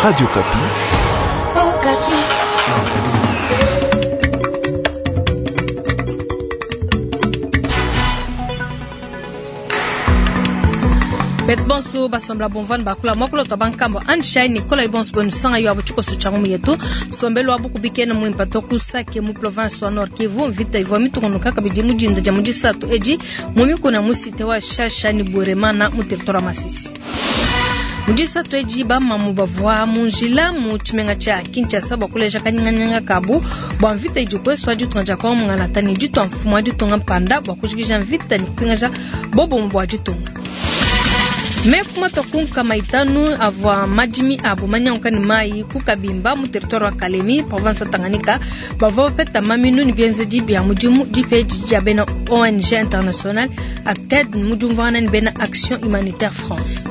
Radio Okapi. Okapi. Betu bonso basombela bumvua ne bakula muakulu tua bankambua Anshai Nicola bonso benu sanga yo abu tshikoso tshia ngumu yetu nsombelu wa bukubi kena muimpe to ku Sake mu province wa Nord Kivu. Mvita ivua mitungunuka kabidi mu dinda dia mu disatu edi mu mikuna mu cité wa Shasha ne Bweremana mu territoire wa Masisi. Mu disatu edi bamamu bavua mu njila mu tshimenga tshia Kinshasa bua kuleja kanyinganyinga kabu bua mvita idi kuesu wa ditunga dia Kongo mungalata ne ditua mfumu wa ditunga mpanda bua kujikija mvita ne kupingaja bobumue bua ditunga. Meku matua ku 500 avua madimi abu manyanguka ne mayi ku Kabimba mu territoire wa Kalemi, province wa Tanganyika, bavua bapeta maminu ne bienzedi bia mudimu dipa edi dia bena ONG international ACTED mu diumvuangana ne bena Action Humanitaire France.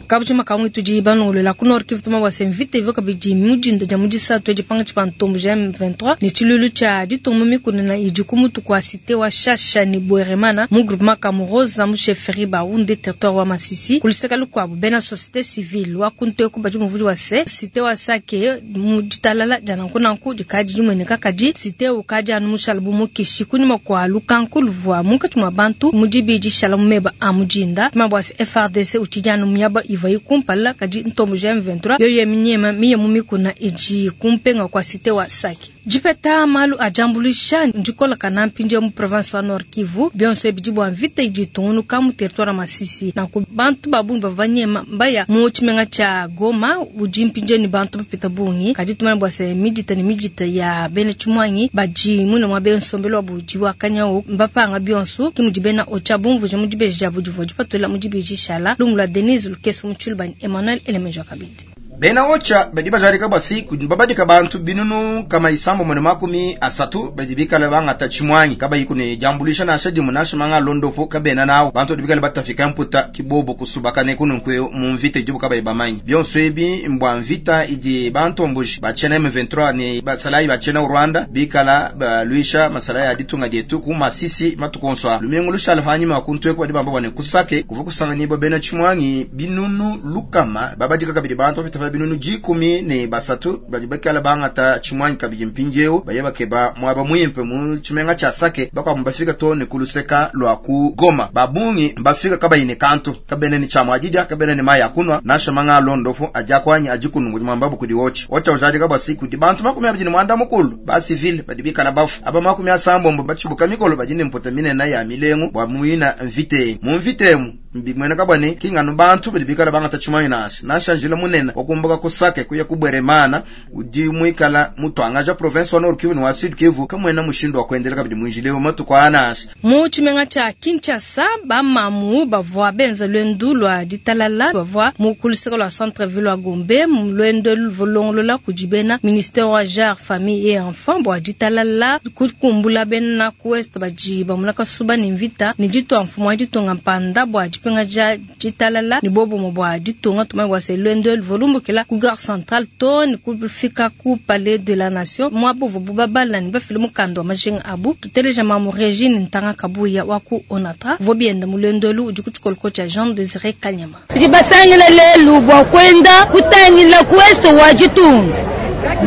Kabujima kamwe tudi balongolola ku Nord Kivu tuma bua se mvita ivua kabidi mu dinda dia mu disatu edi pankatshi pa ntomboji ya M23 ne tshiluilu tshia ditunga mu mikuna idi ku mutu kua cité wa Shasha ne Bweremana mu groupement Kamuroza mu chefferie Bahunde territoire wa Masisi. Ku luseke lukuabu bena société civile wa ku Nteku badi muvudi wa se cité wa Sake mu ditalala dia nanku nanku dikadi dimueneka kadi cité ukadi anu mushala bu mukishi kunyima kua lukanku luvua munkatshi mua bantu mu dibidi shala mu meba a mu dinda. Tuma bua se FARDC utshidi anu miaba ivua kumpala kadi ntomboji ya M23 yoyo minyema miye mu mikuna idi kumpenga kwa cité wa Sake. Dipeta malu a diambuluisha ndikola kana mpindieu mu province wa Nord Kivu bionso ebi bua mvita idi itungunuka mu territoire wa Masisi. Nanku bantu ba bungi bavua banyema mbaya mu tshimenga tshia Goma udi mpindieu ne bantu bapita bungi. Kadi tumanye bua se midita ne midita ya bena tshimuangi badi mune mua bena nsombelu wabu udi wa kanyawu mbapanga bionso ki mudi bena OCHA bumvuija mu dibeji diabu divua dipatula mu dibeji shala lumu lua Denise Lukeso mu Tshiluba ne Emmanuel Elemejo kabidi. Bena OCHA badi bajarika basi kudi babadika bantu 330 badi bikala bangata tshimuangi kabayi kune diambuluisha nansha dimue nansha manga londopo kabena nawo bantu badi bikala batafika mputa kibobo kusubakane kununkwe mu mvita idibo kabayi bamanyi bionso ebi mbwa mvita idi bantomboji bachena M23 ne basalayi bachena Rwanda bikala baluisha masalayi ya ditunga dietu ku Masisi matukonso lumingu lushala hanyuma kuntweko badi bamba bwane kusake kuva kusanganyibwa bena tshimuangi 100 babadika kabidi bantu bapita 130 badi bakala bangata tshimuangi kabidi mpindieu baye bakeba mwaba muimpe mu tshimenga tshia Sake bakwamu bafika to ne kuluseka lwa ku Goma babungi bafika kabayi ne kantu kabene ni tshamwa adidia kabene ne mayi akunwa nansha manga alondofu aja kwanyi ajikunungu mwambabu kudi wochi ocha ujadi kabwa siku di bantu 29 ba civil badi bikala bafu aba 60 bachibuka mikolo badi ne mputa minene ya milengu bwa muina mvite mu mvitemu mbimwena kabwane kingano bantu badi bikala bangata tshimuangi nansha nansha njila munene wakumbuka kusake kuya kubweremana udi mwikala mutwangaja province wa Nord Kivu ni wa Sud Kivu kamwena mushindu wa kuendelea kabidi mwinjile matuku anasha mu tshimenga tshia Kinshasa bamamu bavua benza lwendu lwa ditalala bavua mu kuluseka lwa centre ville wa Gombe lwendo luvulongolola kudi bena ministère wa genre famille et enfant bua ditalala kukumbula bena ku ouest badi bamuna kasuba ne mvita ne ditua mfumu wa ditunga mpanda bua dipingaja ditalala ne bobumue bua ditunga tumanye bua se lwendo luvulumbukila ku gare centrale to ne kufika ku palais de la nation muabu vubu babala ne bafile mukanda wa majinga abu tuteleja mamu Regine Ntanga Kabuya wa ku Onatra vo bienda mu lwendo elu udi ku tshikoloko tshia Jean Désiré Kanyama. Tudi basangila lelu bua kwenda kutangila ku ouest wa ditunga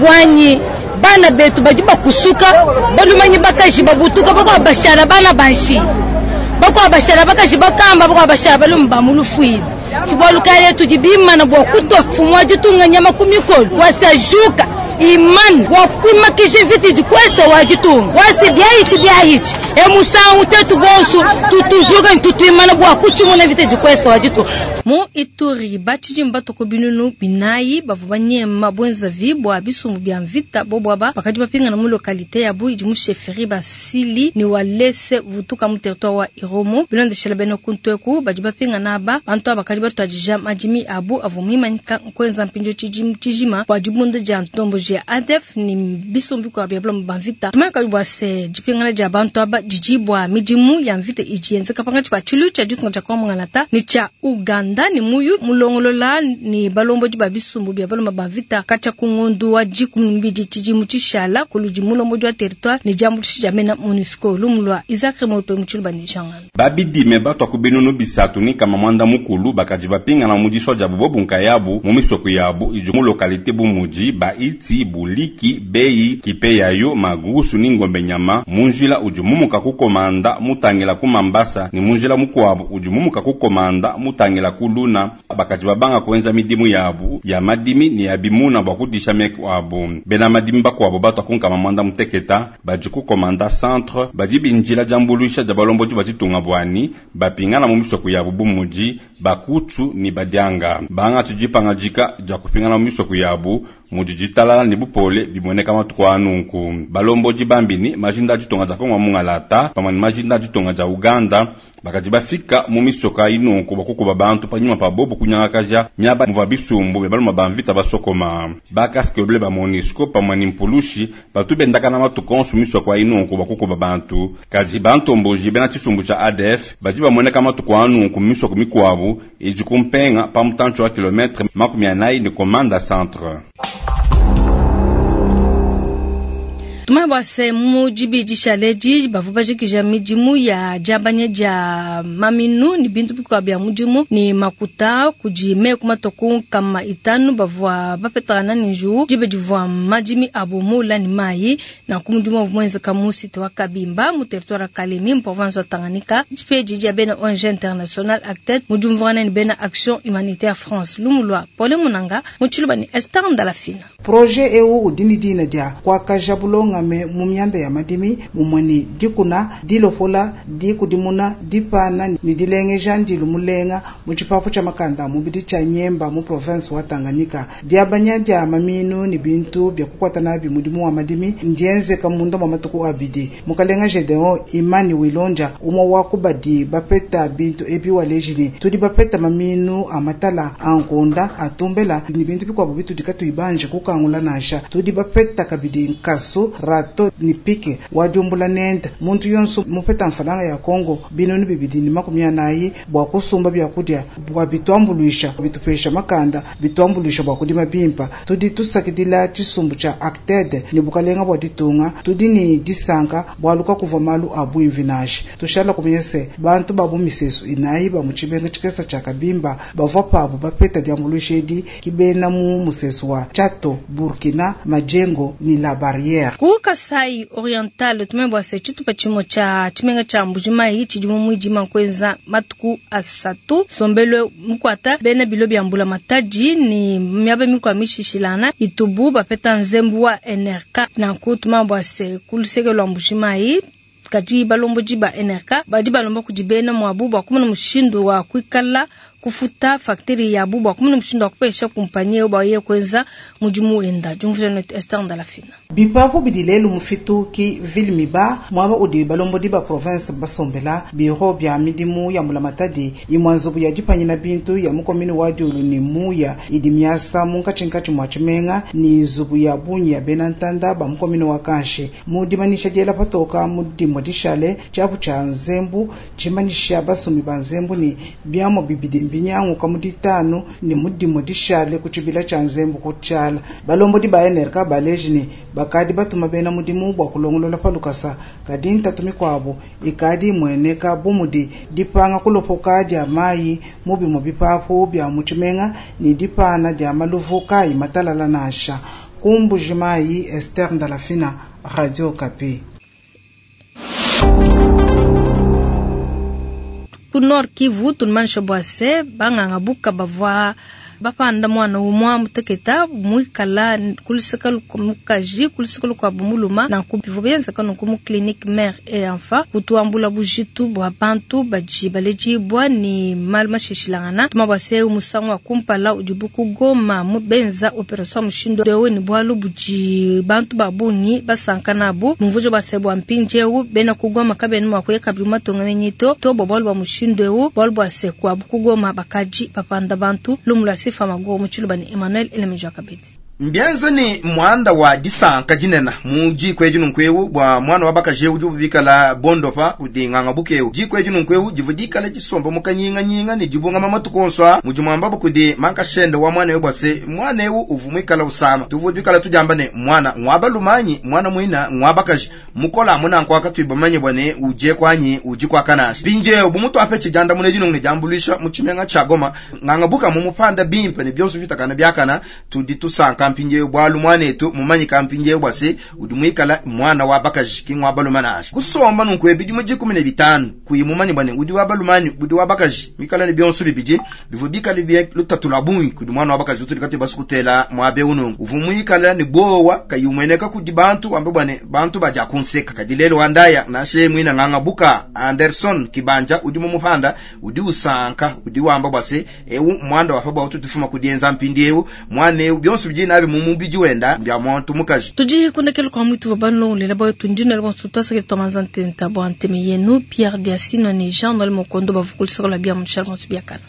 bwanyi bana betu badi bakusuka balumanyi bakaji babutuka bakwa bashala bana banshi bakwa bashala bakaji bakamba bakwa bashala balumu ba mulufuile tshibwalu kale tudi bimana bua kutua mfumu wa ditunga nyama ku mikolo wasajuka imani wa kuimakisha viti dikwesta wa ditunga wasi byaichi byaichi emusangu tetu bonso tutujuka tutuimana bua kuchimuna viti dikwesta wa ditunga. Mu Ituri batshidi mbatoko 400 bavua banyema bwenzavi bua bisumbu bia mvita bobwaba bakadi bapingana mu localité yabu idi mu chefferie Basili ni Walese vutuka mu territoire wa Irumu bilondeshela bena kuntweku badi bapingana aba bantu aba bakadi batuadija madimi abu avua muimanyika nkwenza mpindio tshijima bua dibunda dia ntomboji ya ADF ni bisumbu bikuabu bia bulamu ba mvita. Tumanye kabidi bua se dipingana dia bantu aba didi bua midimu ya mvita idi yenzeka pankatshi pa tshiluilu tshia ditunga dia Congo Mungalata ne tshia Uganda ne muyuki mulongolola ne balombodi ba bisumbu bia baluma ba mvita katshia ku ngondu wa 12 tshidimu tshishala kuludi mulombodi wa territoire ne diambuluisha dia mena MONUSCO. Lumu lua Isaac Remope mu Tshiluba ne Jean Ngando. Babidime batua ku 380 bakadi bapingana mu disua diabu bobu nkayabu mu misoko yabu idi mu localite bu mudi Baiti, Buliki, Beyi, Kipeyayo, Magusu ni Ngombe Nyama mu njila udi mumuka ku Komanda mutangila ku Mambasa ni mu njila mukuabu udi mumuka ku Komanda mutangila ku Luna. Bakadi babanga kuenza midimu yabu ya madimi ni ya bimuna bua kudisha meku abu. Bena madimi bakuabu batua ku 60 badi ku Komanda Centre badi binjila diambuluisha dia balombodi ba ditunga buani bapingana mu misoko yabu bu mudi Bakutu ni Badianga. Bangatshi dipangadika dia kupingana mu misoko yabu mudi ditalala ne bupole bimueneka matuku a nunku. Balombodi bambi ni majinda a ditunga dia Kongo mungalata pamue ne majinda a ditunga dia Uganda bakadi bafika mu misoko ayi nunku bua kukuba bantu panyima pa bobu kunyangakaja miaba muvua bisumbu bia baluma ba mvita basokoma. Ba casque bleu ba MONUSCO pamue ne mpulushi batu bendakana matuku onso misoko ayi nunku bua kukuba bantu. Kadi bantomboji bena tshisumbu tshia ADF badi bamueneka matuku a nunku mu misoko mikuabu idi ku mpenga pa mutantshi wa kilometre 40 ne Komanda Centre. Tumanye bua se mu dibidi dishale edi bavua bajikija midimu ya diabanya dia maminu ne bintu bikuabu bia mudimu ne makuta kudi meku matue ku 500 bavua bapetangana ne njiwu diba divua madimi abu muula ne mayi. Nanku mudimu uvua muenzeka mu site wa Kabimba mu territoire wa Kalemi mu province wa Tanganyika. Dipedi dia bena ONG International ACTED mu diumvuangana ne bena Action Humanitaire France. Lumu lua Paulin Munanga mu Tshiluba ne Esther Ndalafina. Projet eu udi ne dina dia kuakaja bulongame mu mianda ya madimi, mumue ne dikuna, dilopola, dikudimuna, dipana ne dilengeja ndilu mulenga mu tshipapu tshia makanda a mubidi tshia Nyemba mu province wa Tanganyika. Diabanya dia maminu ne bintu bia kukuata nabi mudimu wa madimi ndienzeka munda mua matuku abidi. Mukalenga Gedeon Imani Wilondja, umue wa ku badi bapeta bintu ebi waleji ne, tudi bapeta maminu a matala, a nkunda, a tumbela ne bintu bikuabu bitudi katuyi banji kukangula nansha. Tudi bapeta kabidi nkasu, rato ne pike wa diumbula nende. Muntu yonso mupeta mfalanga ya Kongo 240 bua kusumba biakudia bua bituambuluisha, bitupesha makanda, bituambuluisha bua kudima bimpa. Tudi tusakidila tshisumbu tshia ACTED ne bukalenga bua ditunga. Tudi ne disanka bualu kakuvua malu a buimvi nansha. Tushala kumanya se bantu ba bu misesu inayi ba mu tshimenga tshikesa tshia Kabimba bavua pabu bapeta diambuluisha edi ki bena mu musesu wa Tchato, Burkina, Majengo ne La Barrière. Ku Kasai Oriental tumanye bua se tshitupa tshimue tshia tshimenga tshia Mbuji-Mayi tshidi mu muidima kuenza matuku asatu. Nsombelu mukuata bena bilo bia mbulamatadi ne miaba mikuabu mishishilangana itubu bapeta nzembu wa NRK. Nanku tumanye bua se ku luseke lua Mbuji-Mayi kadi balombodi ba NRK badi balomba kudi bena muabu bua kumona mushindu wa kuikala kufuta facture yabu bua kumona mushindu wa kupesha kumpanyi eu bua yeye kuenza mudimu wenda. Diumvuija netu Esther Ndalafina. Bipapu bidi lelu mu fitu ki ville miba muaba udi balombodi ba province basombela biro bia midimu ya mbulamatadi imue nzubu ya dipanyina bintu ya mu commune wa Diulu ne Muya idi miasa munkatshinkatshi mua tshimenga ne nzubu ya bungi ya bena ntanda ba mu commune wa Kanshi. Mu dimanyisha diela patoka mu dimue dishale tshiapu tshia nzembu tshimanyisha basumi ba nzembu ne biamua bibidi mbinyanguka mu ditanu ne mu dimue dishale ku tshibila tshia nzembu ku tshiala. Balombodi ba NRK baleji ne bakadi batuma bena mudimu bua kulongolola pa lukasa, kadi ntatu mikuabu ikadi imueneka bu mudi dipanga kulopoka dia mayi mu bimue bipapu bia mu tshimenga ne dipana dia maluvu kayi matalala nansha. Ku Mbuji-Mayi, Esther Ndalafina, Radio Okapi. Ku Nord Kivu tunumanyisha bua se banganga buka bavua bapanda mwana umua muteketa muikala kuluseka mukaji kuluseka lukuabu muluma. Nanku bivua bienzeka nunku mu clinique mère et enfant kutuambula bujitu bua bantu badi baledibua ne malu mashishilangana. Tuma bua se musangu wa kumpala udibu ku Goma mu benza operation mushindu eu ne bualu budi bantu ba bungi basanka nabu. Mumvujo bua se bua mpindieu bena ku Goma kabena mua kuya kabidi mu matunga menyi to to bua bualu bua mushindu eu, bualu bua se kuabu ku Goma bakadi bapanda bantu. Lumu lua Sifa Maguru mu Tshiluba ne Emmanuel Elemeja Kabedi. Mbienza ne muanda wa disanka dinene mu diku edi nunku bua mwana wa bakaji udi bikala bondopa kudi nganga bukewu. Diku edi nunku divua dikala disomba mu kanyinganyinga ne dibungama matuku onso a mudi muamba kudi mankashende wa mwana eu bua se mwana eu uvua muikala usama. Tuvua tuikala tudiamba ne mwana ngwa balumanyi mwana muina ngwa bakaji mukola amuna nkwaka tuibamanye bua ne uje kwanyi uji kwa kanasha. Mpindieu bu mutu apetshi diandamuna edi nunku ne diambuluisha mu tshimenga tshia Goma nganga buka mu mupanda bimpe ne bionso bitakana biakana tudi tusanka mpindieu bwalu mwanetu mumanyika mpindieu bua se udi muikala mwana wa bakaji ki ngwa baluma nansha. Kusomba nunku ebidimu 15 kuyi mumanye bua ne udi wa balumani udi wa bakaji mikala ne bionso bibidi bivua bikale bie lutatu lua bungi kudi mwana wa bakaji utudi kati basukutela mwabe unungu uvua muikala ne bowa kayi umueneka kudi bantu wambe bua ne bantu badia kunseka. Kadi lelo wandaya nansha mwina nganga buka Anderson Kibanja udi mu mupanda udi usanka udi wamba bua se ewu mwanda wa pa ututufuma kudienza mpindieu mwana eu bionso bidi nabi mu mubidi wenda mbya muntu mukaji. Tudi kundekela kwa mwitu wa banlo lela boyo tundina le bonso twasake twamanza ntenta bwa nteme yenu Pierre Diasino ni Jean Noël Mokondo bavukulisaka la bia mutshala bonso biakana.